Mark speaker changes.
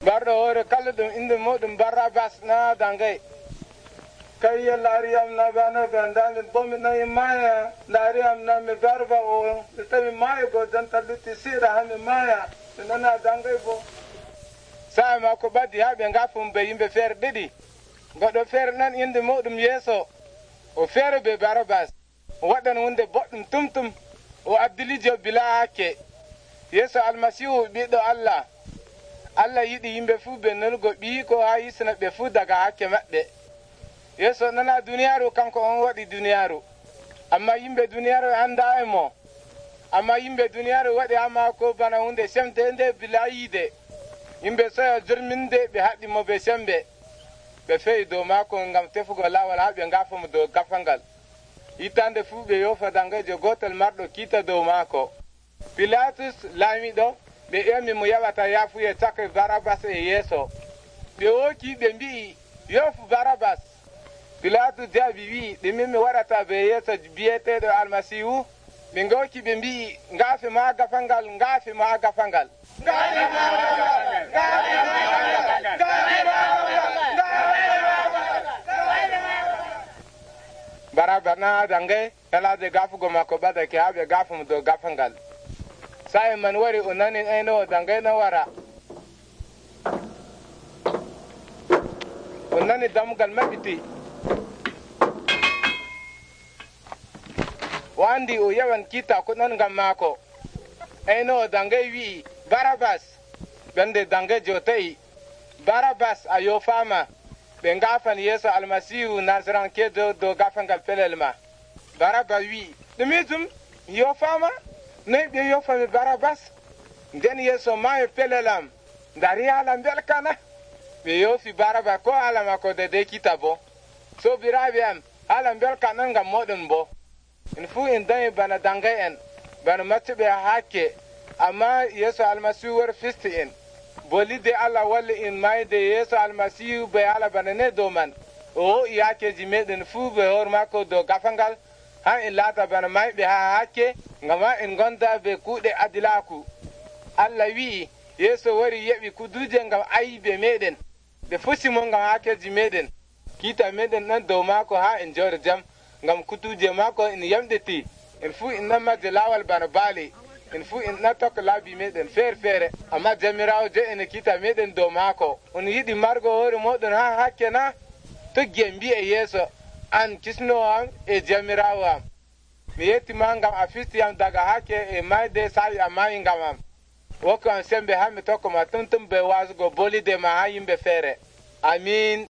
Speaker 1: barɗo hoore kala ɗum inde muɗum Barabas na dangay kay yallari na bana bandal bomi na maya dari na me barba o tami maya go janta lutti sira hami maya nana dangay bo sa ma ko baddi habe ngafum be yimbe feere ɗiɗi goɗɗo feere nan inde muɗum Yeeso o feere be Barabas o waɗan hunde boɗɗum tumtum o abdilijo bila hakke Yeeso almasihu ɓiɗɗo Allah yiɗi yimɓe fuu ɓe nolugo ɓii ko haa yisna ɓe fuu daga hakke maɓɓe Yeeso nana duniyaaru kanko on waɗi duniyaaru amma yimɓe duniyaaru annda e mo amma yimɓe duniyaaru waɗi haa maako bana hunde semte nde bila yiide yimɓe soyo jurminde ɓe haɗi mo ɓe sembe ɓe fewi dow maako ngam tefugo laawol haa ɓe ngaafa mo dow gafal ngal hittande fuu ɓe yofa dangejo gootel marɗo kiita dow maako Pilatus laamiɗo ɓe ƴami mo yaɓata yaafuye caka Barabas e Yeeso ɓe wooki ɓe mbi'i yofu Barabas Pilatus jaabi wi'i ɗume mi waɗata be Yeeso biyeteeɗo almasihu ɓe ngooki ɓe mbi'i ngaafe ma gafal ngal ngaafe ma gafal ngal Barabas na dange helaade gafugo makko ɓadake haa ɓe gafa mo dow gafal ngal sa'i man wari o nani ayno dangay no wara o nani dammugal maɓɓiti o andi o yawan kiita ko ɗon ngam maako ayno dangay wi'i Barabas ɓende dangejo ta'i Barabas a yofaama ɓe ngafan Yeeso almasihu Nasarankejo dow gafal ngal pelel ma Barabas wi'i ɗumitum yofaama noy ɓe yofami Barabas nden Yeeso maayo pelelam dari haala belkana ɓe yofi Barabas ko haala makko de kita bo sobiraaɓe am haala belka non ngam moɗon bo en fuu en dañi bana dangay en bana maccuɓe hakke amma Yeeso almasihu wari fisti en bolide Allah walli en mayde Yeeso almasihu ɓe haala bana ne dow man o ho'i hakkeji meɗen fuu ɓe hoore makko dow gafal ngal han en laata bana mayɓe haa hakke ngam en gonda be kuuɗe adilaaku Allah wi'i Yeeso wari yeɓi kuduje ngam ayiɓe meɗen ɓe fusi mo ngam hakkeji meɗen kiita meɗen ɗon dow maako haa en jooɗo jam ngam kutuje maako en yamɗiti en fuu en nammadde laawol bana baali en fuu en nattokko laabi meɗen feere feere amma Jomirawo jo ene kiita meɗen dow maako on yiɗi margo hoore moɗon haa hakke na toggi en mbi'e Yeeso an kisno am e Jomirawo am mi yettima ngam a fistiyam daga hakke e mayde sa'i a maayi ngam am wokku am sembe haa mi tokkoma tumtum be waasugo bolide ma haa yimɓe feere amiin